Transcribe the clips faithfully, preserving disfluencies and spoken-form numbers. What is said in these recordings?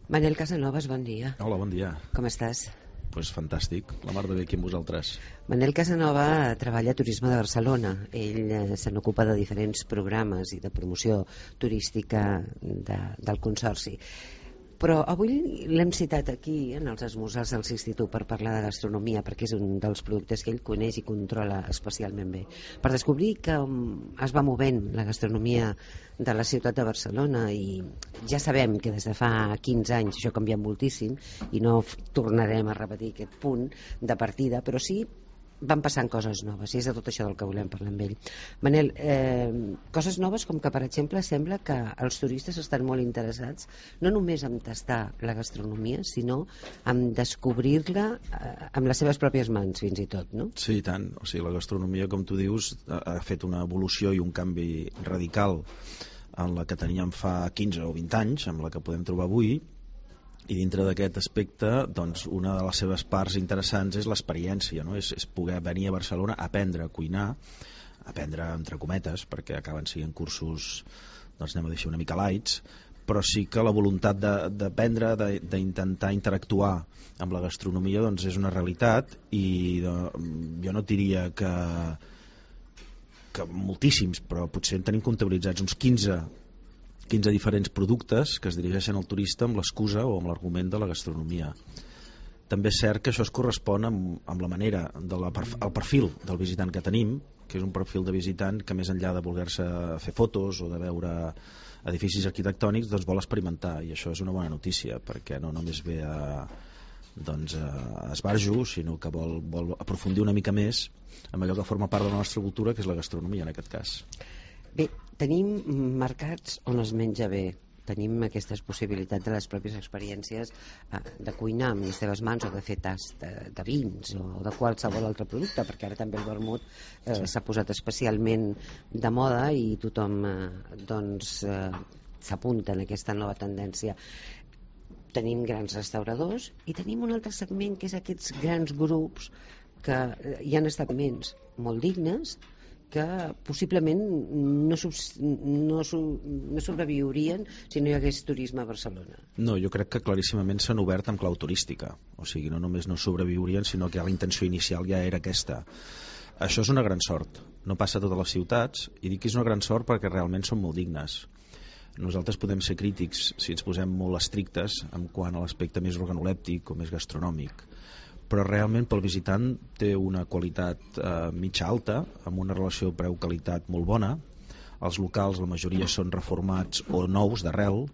Manel Casanovas, bon dia. Hola, bon dia. Com estàs? Pues fantàstic, la mar de bé aquí amb vosaltres. Manel Casanova treballa a Turisme de Barcelona. Ell eh, se n'ocupa de diferents programes i de promoció turística de, del Consorci. Però avui l'hem citat aquí en els esmorzars del Institut per parlar de gastronomia, perquè és un dels productes que ell coneix i controla especialment bé, per descobrir que um, es va movent la gastronomia de la ciutat de Barcelona. I ja sabem que des de fa quinze anys això ha canviat moltíssim i no tornarem a repetir aquest punt de partida, però sí van passant coses noves, i és de tot això del que volem parlar amb ell. Manel, eh, coses noves com que, per exemple, sembla que els turistes estan molt interessats no només en tastar la gastronomia, sinó en descobrir-la eh, amb les seves pròpies mans, fins i tot, no? Sí, i tant. O sigui, la gastronomia, com tu dius, ha fet una evolució i un canvi radical en la que teníem fa quinze o vint anys, amb la que podem trobar avui. I dintre d'aquest aspecte, doncs, una de les seves parts interessants és l'experiència, no? és, és poder venir a Barcelona a aprendre a cuinar, a aprendre entre cometes, perquè acaben sent cursos, doncs anem a dir una mica lights, però sí que la voluntat d'aprendre, d'intentar interactuar amb la gastronomia, doncs és una realitat. I de, jo no et diria que, que moltíssims, però potser en tenim comptabilitzats uns quinze quinze diferents productes que es dirigeixen al turista amb l'excusa o amb l'argument de la gastronomia. També és cert que això es correspon amb, amb la manera, de la, el perfil del visitant que tenim, que és un perfil de visitant que més enllà de voler-se fer fotos o de veure edificis arquitectònics, doncs vol experimentar, i això és una bona notícia, perquè no només ve a, doncs, a esbarjo, sinó que vol, vol aprofundir una mica més en allò que forma part de la nostra cultura, que és la gastronomia en aquest cas. Bé, tenim mercats on es menja bé, tenim aquestes possibilitats de les pròpies experiències eh, de cuinar amb les teves mans o de fer tast de, de vins o de qualsevol altre producte, perquè ara també el vermut eh, s'ha posat especialment de moda i tothom eh, doncs eh, s'apunta en aquesta nova tendència. Tenim grans restauradors i tenim un altre segment que és aquests grans grups que eh, hi ha establiments molt dignes que possiblement no, no, no sobreviurien si no hi hagués turisme a Barcelona. No, jo crec que claríssimament s'han obert amb clau turística, o sigui, no només no sobreviurien, sinó que la intenció inicial ja era aquesta. Això és una gran sort, no passa a totes les ciutats, i dic que és una gran sort perquè realment són molt dignes. Nosaltres podem ser crítics si ens posem molt estrictes en quant a l'aspecte més organolèptic o més gastronòmic, però realment pel visitant té una qualitat eh, mitja alta, amb una relació preu-qualitat molt bona. Els locals, la majoria són reformats o nous d'arrel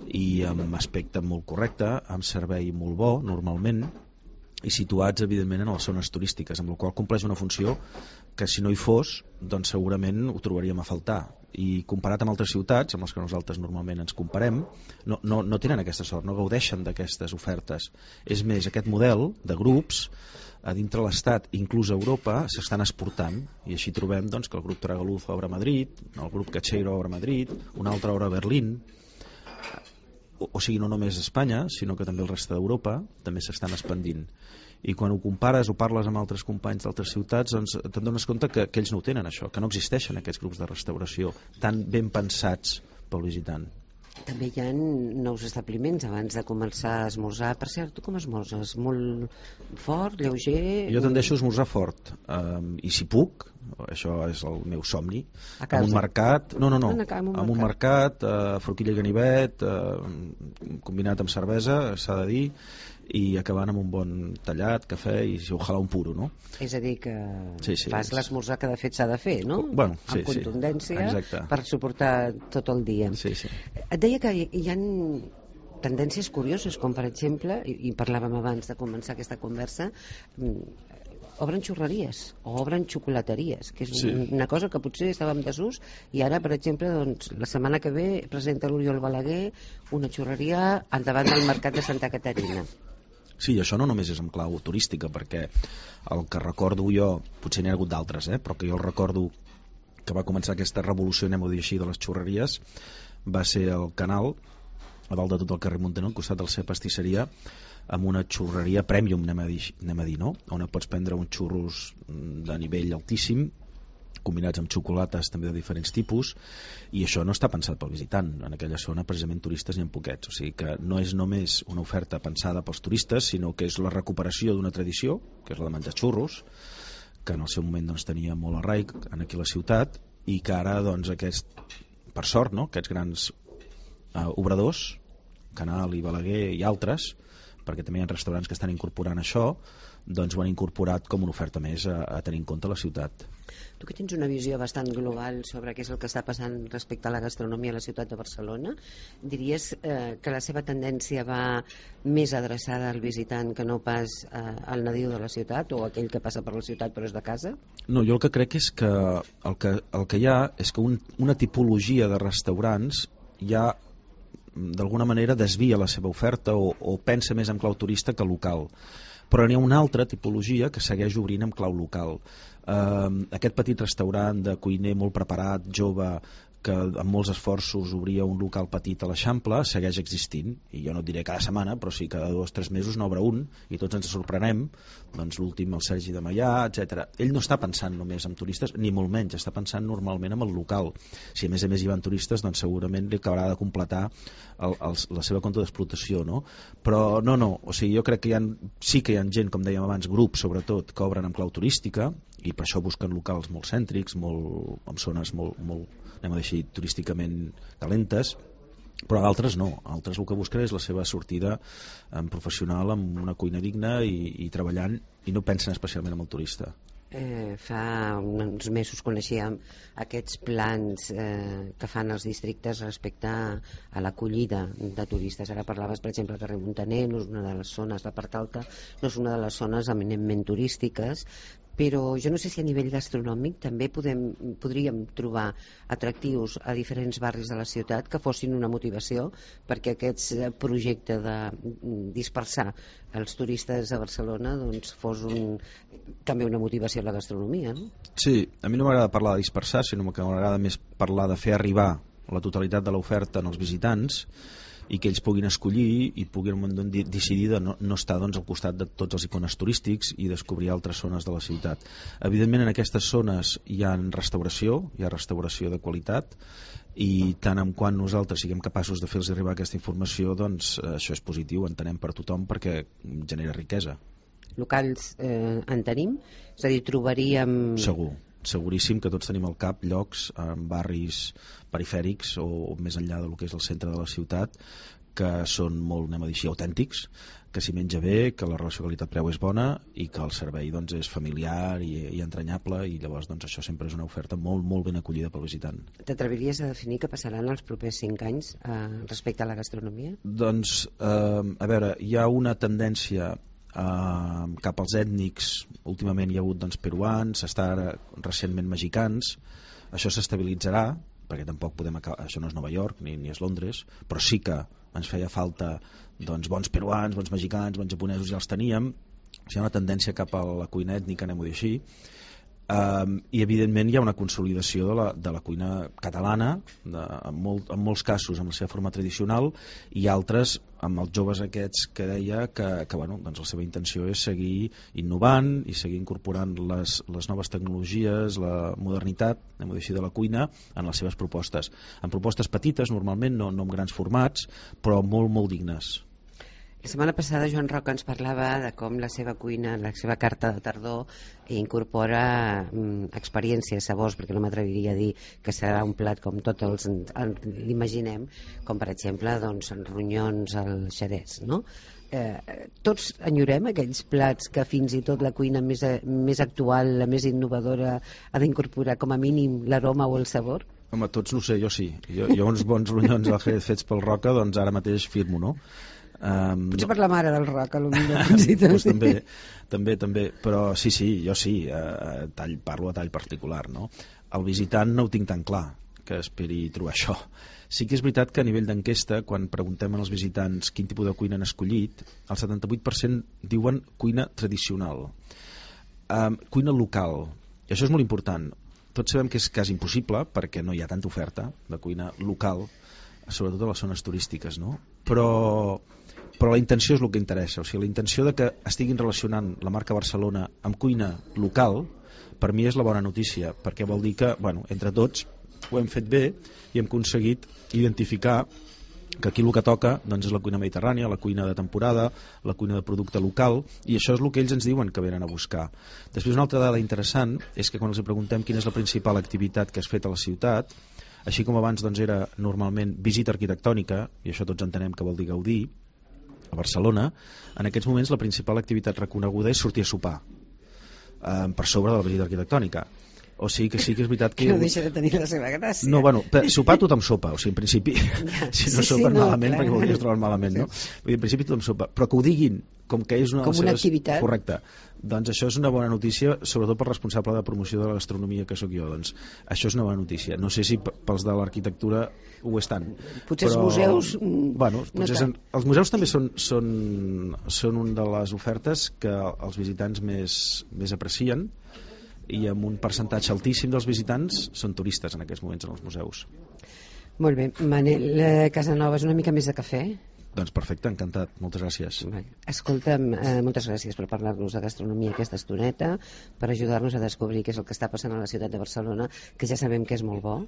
i amb aspecte molt correcte, amb servei molt bo normalment, i situats evidentment en les zones turístiques, amb la qual compleix una funció que si no hi fos doncs segurament ho trobaríem a faltar. I comparat amb altres ciutats amb les que nosaltres normalment ens comparem, no, no, no tenen aquesta sort, no gaudeixen d'aquestes ofertes. És més, aquest model de grups a dintre l'Estat, inclús a Europa, s'estan exportant, i així trobem doncs, que el grup Tragaluz obre a Madrid, el grup Cacheiro obre a Madrid, un altre obre a Berlín. O, o sigui, no només a Espanya, sinó que també el reste d'Europa també s'estan expandint. I quan ho compares o parles amb altres companys d'altres ciutats, doncs te'n dones compte que, que ells no ho tenen, això, que no existeixen aquests grups de restauració tan ben pensats pel visitant. També hi ha nous establiments abans de començar a esmorzar. Per cert, tu com esmorzes? Molt fort, lleuger? Jo tendeixo a esmorzar fort, um, i si puc, això és el meu somni, en un mercat, no, no, no, en un mercat, uh, forquilla i ganivet, uh, combinat amb cervesa, s'ha de dir, i acabant amb un bon tallat, cafè i ojalà un puro, no? És a dir que sí, sí, fas l'esmorzar que de fet s'ha de fer, no? Bueno, sí, amb contundència, sí, per suportar tot el dia. Sí, sí. Et deia que hi ha tendències curioses, com per exemple, i parlàvem abans de començar aquesta conversa, obren xurreries o obren xocolateries, que és sí. una cosa que potser estava en desús, i ara, per exemple, doncs, la setmana que ve presenta l'Oriol Balaguer una xurreria al davant del mercat de Santa Caterina. Sí, això no només és en clau turística, perquè el que recordo jo, potser n'hi ha hagut d'altres, eh, però que jo el recordo que va començar aquesta revolució, anem a dir així, de les xurreries, va ser el Canal, a dalt de tot el carrer Muntaner, al costat de la seva pastisseria, amb una xurreria premium, anem a dir, anem a dir no? On pots prendre uns xurros de nivell altíssim combinats amb xocolates també de diferents tipus, i això no està pensat pel visitant. En aquella zona precisament turistes n'hi ha poquets, o sigui que no és només una oferta pensada pels turistes, sinó que és la recuperació d'una tradició, que és la de menjar xurros, que en el seu moment doncs, tenia molt arraic aquí a la ciutat, i que ara doncs, aquest, per sort, no? aquests grans eh, obradors, Canal i Balaguer i altres, perquè també hi ha restaurants que estan incorporant això, doncs ho han incorporat com una oferta més a, a tenir en compte la ciutat. Tu que tens una visió bastant global sobre què és el que està passant respecte a la gastronomia a la ciutat de Barcelona, diries eh, que la seva tendència va més adreçada al visitant que no pas eh, al nadiu de la ciutat o aquell que passa per la ciutat però és de casa? No, jo el que crec és que el que, el que hi ha és que un, una tipologia de restaurants ja d'alguna manera desvia la seva oferta o, o pensa més en clau turista que local, però n'hi ha una altra tipologia que segueix obrint en clau local. Uh, aquest petit restaurant de cuiner molt preparat, jove, que amb molts esforços obria un local petit a l'Eixample, segueix existint, i jo no et diré cada setmana, però sí cada dos o tres mesos n'obre un, i tots ens sorprenem, doncs l'últim el Sergi de Maià, etcètera. Ell no està pensant només en turistes, ni molt menys, està pensant normalment en el local. Si a més a més hi van turistes, doncs segurament li acabarà de completar el, el, la seva compte d'explotació, no? Però no, no, o sigui, jo crec que hi ha, sí que hi ha gent, com dèiem abans, grups sobretot, que obren en clau turística, i per això busquen locals molt cèntrics, molt, amb zones molt, molt anem a dir així, turísticament calentes, però altres no, altres el que busquen és la seva sortida en professional amb una cuina digna i, i treballant, i no pensen especialment en el turista. Eh, fa uns mesos coneixíem aquests plans eh, que fan els districtes respecte a l'acollida de turistes. Ara parlaves, per exemple, que carrer Montaner no és una de les zones, la part alta no és una de les zones eminentment turístiques, però jo no sé si a nivell gastronòmic també podem, podríem trobar atractius a diferents barris de la ciutat que fossin una motivació perquè aquest projecte de dispersar els turistes a Barcelona doncs fos un, també una motivació a la gastronomia, no? Sí, a mi no m'agrada parlar de dispersar, sinó que m'agrada més parlar de fer arribar la totalitat de l'oferta als visitants i que ells puguin escollir i puguin decidir de no, no estar doncs, al costat de tots els icones turístics i descobrir altres zones de la ciutat. Evidentment en aquestes zones hi ha restauració, hi ha restauració de qualitat, i tant en quant nosaltres siguem capaços de fer-los arribar aquesta informació, doncs això és positiu, entenem per tothom, perquè genera riquesa. Locals eh, en tenim? És a dir, trobaríem... Segur. Seguríssim que tots tenim al cap llocs en barris perifèrics o, o més enllà del que és el centre de la ciutat que són molt, anem a dir així, autèntics, que s'hi menja bé, que la relació qualitat-preu és bona i que el servei doncs, és familiar i, i entranyable, i llavors doncs, això sempre és una oferta molt, molt ben acollida pel visitant. T'atreviries a definir què passaran els propers cinc anys eh, respecte a la gastronomia? Doncs, eh, a veure, hi ha una tendència Uh, cap als ètnics. Últimament hi ha hagut doncs, peruans, està ara recentment mexicans. Això s'estabilitzarà perquè tampoc podem acabar, això no és Nova York ni, ni és Londres, però sí que ens feia falta doncs, bons peruans, bons mexicans, bons japonesos, ja els teníem. Hi ha una tendència cap a la cuina ètnica, anem-ho dir així. Um, i evidentment hi ha una consolidació de la, de la cuina catalana, de, en, molt, en molts casos amb la seva forma tradicional, i altres amb els joves aquests que deia que, que bueno, doncs la seva intenció és seguir innovant i seguir incorporant les, les noves tecnologies, la modernitat, anem a dir així, de la cuina en les seves propostes, en propostes petites normalment, no, no en grans formats, però molt molt dignes. La setmana passada Joan Roca ens parlava de com la seva cuina, la seva carta de tardor incorpora mm, experiències, sabors, perquè no m'atreviria a dir que serà un plat com tots els l'imaginem, com per exemple doncs, ronyons al xerès, no? Eh, tots enyorem aquells plats que fins i tot la cuina més, més actual, la més innovadora ha d'incorporar com a mínim l'aroma o el sabor? Home, tots no sé, jo sí. Jo, jo uns bons ronyons al Jerez fets pel Roca, doncs ara mateix firmo, no? Um, potser per la mare del Roca, potser pues també, també, també, però sí, sí, jo sí, eh, tall, parlo a tall particular, no? El visitant no ho tinc tan clar que esperi trobar això. Sí que és veritat que a nivell d'enquesta, quan preguntem als visitants quin tipus de cuina han escollit, el setanta-vuit per cent diuen cuina tradicional, um, cuina local, i això és molt important. Tots sabem que és quasi impossible perquè no hi ha tanta oferta de cuina local, sobretot a les zones turístiques, no? Però, però la intenció és el que interessa, o sigui, la intenció de que estiguin relacionant la marca Barcelona amb cuina local per mi és la bona notícia, perquè vol dir que, bueno, entre tots ho hem fet bé i hem aconseguit identificar que aquí el que toca doncs, és la cuina mediterrània, la cuina de temporada, la cuina de producte local, i això és el que ells ens diuen que venen a buscar. Després, una altra dada interessant és que quan els preguntem quina és la principal activitat que has fet a la ciutat, així com abans doncs, era normalment visita arquitectònica, i això tots entenem que vol dir gaudir, a Barcelona, en aquests moments la principal activitat reconeguda és sortir a sopar, eh, per sobre de la visita arquitectònica. O sigui que sí que és veritat que... Que no deixa de tenir la seva gràcia. No, bueno, per sopar tothom sopa, o sigui, en principi, ja, si no sí, sopen sí, no, malament, clar. perquè voldries trobar malament, no? Vull dir, en principi tothom sopa, però que ho diguin com que és una com de les una seves... activitat. Correcte. Doncs això és una bona notícia, sobretot pel responsable de promoció de la gastronomia que sóc jo. Doncs això és una bona notícia. No sé si pels de l'arquitectura ho estan. Potser però... els museus... Bueno, potser no són... els museus també són, són, són una de les ofertes que els visitants més, més aprecien, i amb un percentatge altíssim dels visitants són turistes en aquests moments en els museus. Molt bé, Manel Casanovas, una mica més de cafè? Doncs perfecte, encantat, moltes gràcies. Escolta'm, eh, moltes gràcies per parlar-nos de gastronomia aquesta estoneta, per ajudar-nos a descobrir què és el que està passant a la ciutat de Barcelona, que ja sabem que és molt bo,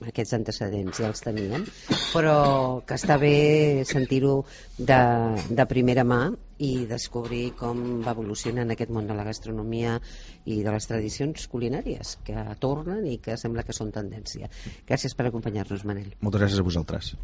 aquests antecedents ja els teníem, però que està bé sentir-ho de, de primera mà i descobrir com va evolucionant aquest món de la gastronomia i de les tradicions culinàries que tornen i que sembla que són tendència. Gràcies per acompanyar-nos, Manel. Moltes gràcies a vosaltres.